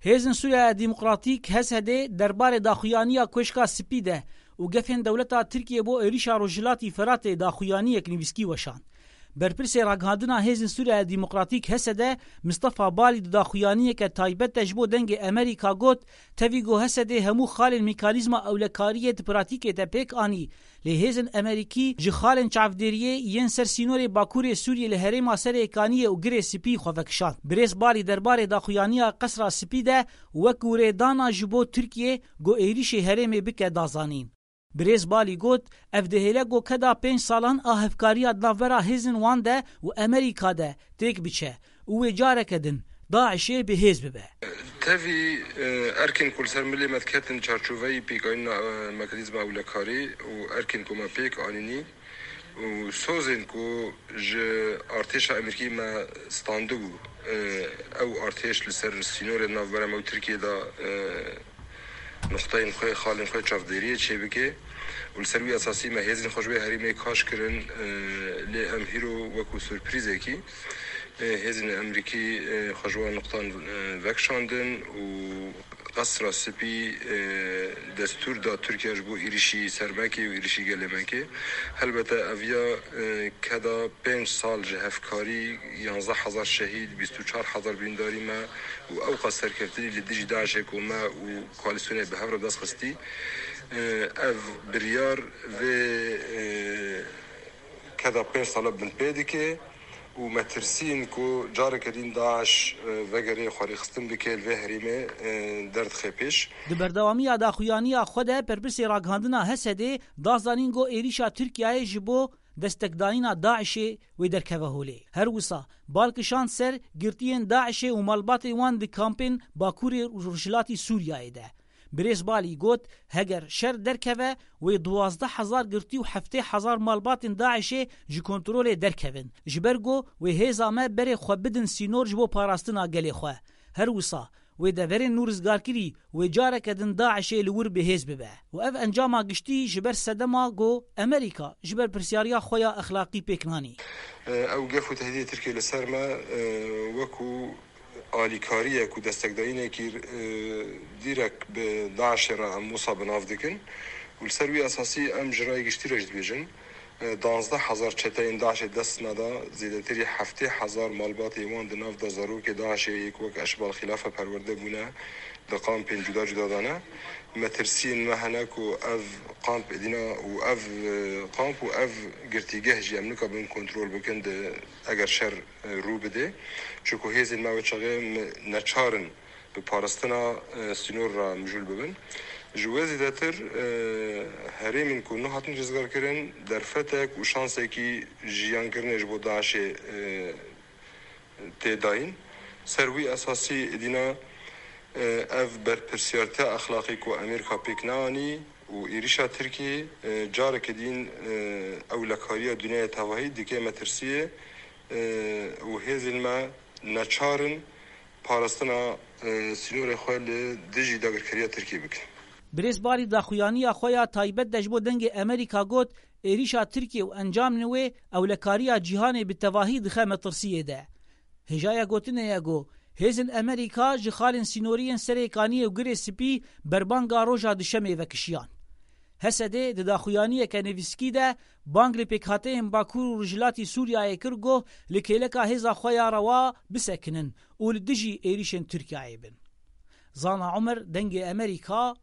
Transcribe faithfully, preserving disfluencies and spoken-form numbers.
Hêzên Sûriya Demokratîk, H S D, derbarê daxuyaniya Koşka Spî de û gefên dewleta Tirkiyê bo êrîşa Rojhilatî Firatê daxuyaniyek nivîskî weşand. Berpirsê ragihandina Hêzên Sûriya Demokratîk, H S D, Mistefa Balî di daxuyaniyeke taybet de ji bo Dengê Amerîka got, tevî ku H S D hemû xalên mekanîzma ewlekariyê di pratîkê de pêk anî, lê hêzên Amerîkî ji xalên çavdêriyê yên ser sînorê Bakurê Sûriyê li herêma Serêkaniyê û Girê Spî xwe vekişand. Birêz Balî derbarê daxuyaniya Qesra Spî de wek wurêdana ji bo Tirkiyê ku êrîşê herêmê bike da zanîn. Birêz Balî got, ev dihêle ku keda pênc salan a hevkariya di navbera hêzên wan de û Amerîka de têk biçe û wê careke din DAIŞê bi hêz bibe. Tevî, e, erkên ku li ser milê me diketin çarçoveyî pêkanîna, e, mekanîzma ewlekarî û erkên ku me pêk anînî û sozên ku ji artêşa Amerîkî me standibû, e, ew artêş li ser sînorên navbera me û Tirkiyê de, e, nuqteyên xwe, xalên xwe çavdêriyê çêbike û li ser wî esasî me hêzên xwe ji wê herêmê kaş kirin, e, lê em hîro wekû surprîzekî, e, hêzên Amerîkî, e, xwe ji wan nuqtan, e, vekişandin û Qesra Spî, e, destûr da Tirkiye ji bo êrîşî ser me kê û êrîşî gelê me kê. Helbete ev ya, e, keda pênc sal ji hevkarî, yanzdeh hezar şehîd, bîst û çar hezar birîndarî me û ewqas serkeftinî li dijî DAIŞê ku me û koalîsyonê bi hev re dest xistî. E, ev biryar vê, e, keda pênc sala binpê dike û me tirsîn ku careke din DAIŞ, e, vegerê xwerîxistin bike li vê herêmê, e, derdixê pêş. Di berdewamiya daxuyaniya xwe de berpirsê ragihandina H S D'ê da zanîn ku êrîşa Tirkiyeyê ji bo destekdayîna DAIŞê wê derkeve holê. Her wisa bal kişand ser girtiyên DAIŞê û malbatên wan di kampên Bakurê Rojhilatî Sûriyeyê de. Birêz Balî got, heger şer derkeve, wê duwazdeh hezar girtî û heftê hezar malbatên DAIŞê ji kontrolê derkevin, ji ber ku wê hêza me berê xwe bidin sînor ji bo parastina gelê xwe. Her wisa, wê deverên nû rizgarkirî wê careke din DAIŞê li wir bi hêz bibe û ev encama giştî ji ber sedema ku Amerîka ji ber pirsyariya xwe ya exlaqî pêk nanî. Ew gef û tehdîdê Tirkiyê li ser me, e, wekû alîkariyek û destekdayînekî, e, dîrek bi DAIŞê re em wisa bi nav dikin û li ser wî esasî em ji rayê giştî re jî dibêjin, e, danzdeh hezar çeteyên DAIŞê dest me da, zêdetirî heftê hezar malbatê wan di nav da zarokê DAIŞê yek wek eşbal xilafe perwerde bûne, di kampên cuda cuda de ne. Metirsiyên me hene ku ev kamp êdîna û ev, e, kamp û ev girtîgeh jî em nikabin kontrol bikin di, eger şer, e, rû bidê. Çunku hêzên me wê çaxê me neçar in bi parastina, e, sînor re mijûl bibin. Ji wê zêdetir, e, herêmên ku nihatin rizgarkirin derfetek û şansekî jiyankirinê ji bo DAIŞê, e, tê dayîn. Ser wî esasî dîna, e, ev berpirsiyartiya exlaqî ku Amerîka pêk neanî û êrîşa Tirkiyê, e, careke dîn, e, ewlekariya dinyaya tevahî dike metirsiyê, e, û hêzên me neçar in parastina, e, sînorê xwe li dijî dagirkeriya Tirkiyê bikin. Birêz Balî daxuyaniya xwe ya taybet de ji bo Dengê Amerîka got, êrîşa Tirkiyê û encamên wê ewlekariya cîhanê bi tevahî dixe metirsiyê de. Hêjaya gotinê ye ku hêzên Amerîka ji xalên sînoriyên Serêkaniyê û Girê Spî berbanga roja Duşemê vekişiyan. H S D di daxuyaniyeke nivîskî de bang li pêkhateyên Bakur û Rojhilatî Sûriyeyê kir ku li kêleka hêza xwe ya rewa bisekinin û li dijî êrîşên Tirkiyeyê bin. Zana Omer, Dengê Amerîka,